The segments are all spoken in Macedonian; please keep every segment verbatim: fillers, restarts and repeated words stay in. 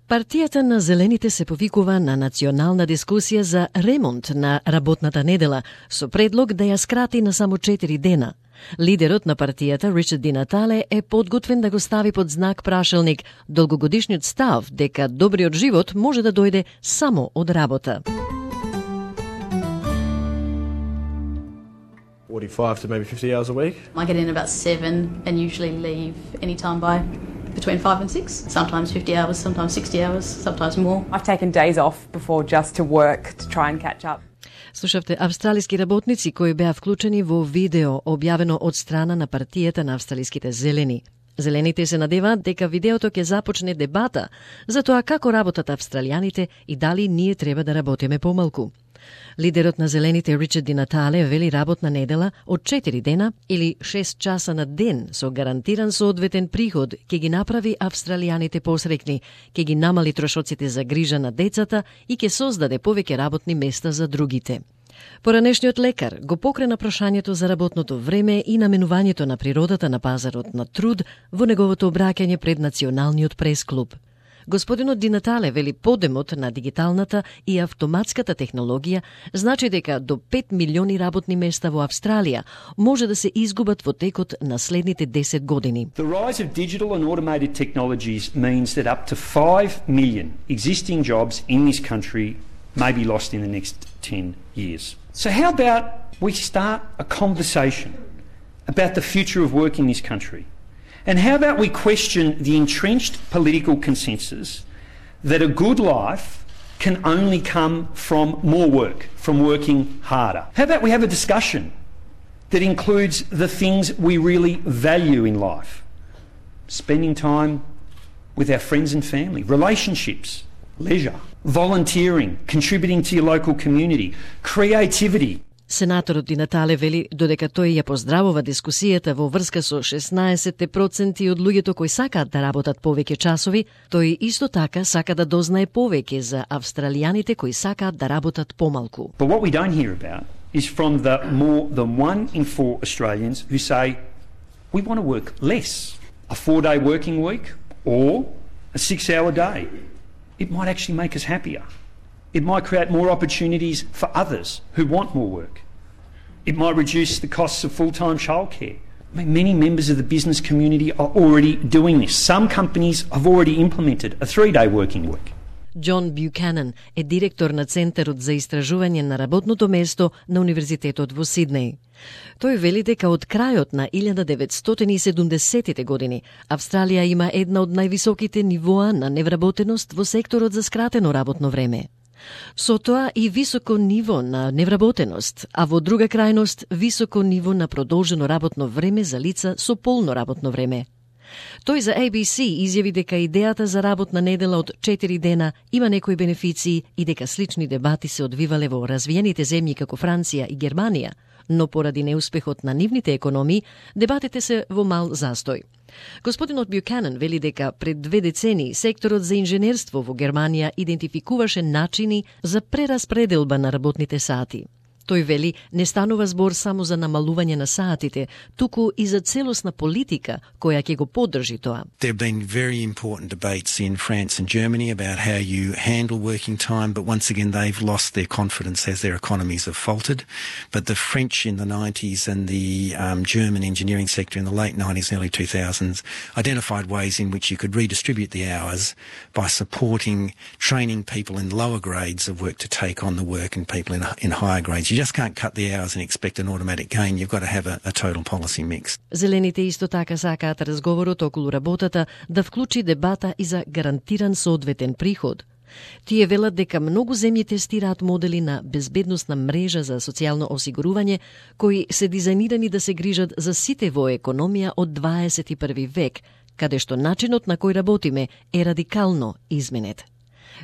Партијата на Зелените се повикува на национална дискусија за ремонт на работната недела со предлог да ја скрати на само четири дена. Лидерот на партијата, Ричард Ди Натале, е подготвен да го стави под знак прашалник долгогодишниот став дека добриот живот може да дојде само од работа. forty-five to maybe fifty hours a week. I get in about seven and usually leave any time by between five and six. Sometimes fifty hours, sometimes sixty hours, sometimes more. I've taken days off before just to work to try and catch up. Слушавте австралиски работници кои беа вклучени во видео објавено од страна на партијата на австралиските зелени. Зелените се надеваат дека видеото ќе започне дебата за тоа како работат австралијаните и дали ние треба да работиме помалку. Лидерот на Зелените Ричард Ди Натале вели работна недела од четири дена или шест часа на ден со гарантиран соодветен приход ќе ги направи австралијаните посрекни, ќе ги намали трошоците за грижа на децата и ќе создаде повеќе работни места за другите. Поранешниот лекар го покрена прашањето за работното време и наменувањето на природата на пазарот на труд во неговото обраќање пред Националниот прес-клуб. Господинот Ди Натале вели подемот на дигиталната и автоматската технологија значи дека до пет милиони работни места во Австралија може да се изгубат во текот на следните десет години. The rise of digital and automated technologies means that up to five million existing jobs in this country may be lost in the next ten years. So how about we start a conversation about the future of work in this country? And how about we question the entrenched political consensus that a good life can only come from more work, from working harder? How about we have a discussion that includes the things we really value in life? Spending time with our friends and family, relationships, leisure, volunteering, contributing to your local community, creativity. Сенаторот Ди Натале вели додека тој ја поздравува дискусијата во врска со шеснаесет проценти од луѓето кои сакаат да работат повеќе часови, тој исто така сака да дознае повеќе за австралијаните кои сакаат да работат помалку. But what we don't hear about is from the more than one in four Australians who say we want to work less, a four-day working week or a six-hour day. It might actually make us happier. It might create more opportunities for others who want more work. It might reduce the costs of full-time childcare. I mean, many members of the business community are already doing this. Some companies have already implemented a three-day working week. Џон Бјуканен е директор на Центарот за истражување на работното место на Универзитетот во Сиднеј. Тој вели дека од крајот на илјада деветстотини и седумдесетите години Австралија има една од највисоките нивоа на невработеност во секторот за скратено работно време. Со тоа и високо ниво на невработеност, а во друга крајност високо ниво на продолжено работно време за лица со полно работно време. Тој за A B C изјави дека идејата за работна недела од четири дена има некои бенефиции и дека слични дебати се одвивале во развиените земји како Франција и Германија, но поради неуспехот на нивните економии, дебатите се во мал застој. Господинот Бјуканен вели дека пред две децении секторот за инженерство во Германија идентификуваше начини за прераспределба на работните сати. Тој вели не станува збор само за намалување на саатите, туку и за целосна политика која ќе го поддржи тоа. There have been very important debates in France and Germany about how you handle working time, but once again they've lost their confidence as their economies have faltered. But the French in the nineties and the um, German engineering sector in the late nineties, early two thousands identified ways in which you could redistribute the hours by supporting, training people in lower grades of work to take on the work and people in, in higher grades. You just can't cut the hours and expect an automatic gain. You've got to have a, a total policy mix. Зелените исто така сакаат разговорот околу работата да вклучи дебата и за гарантиран соодветен приход. Тие велат дека многу земји тестираат модели на безбедносна мрежа за социјално осигурување кои се дизајнирани да се грижат за сите во економија од дваесет и први век, каде што начинот на кој работиме е радикално изменет.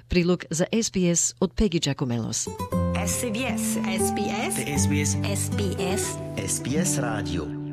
Прилог за С Б С од Пеги Джакомелос. С Б С. С Б С. S B S. S B S. S B S Radio.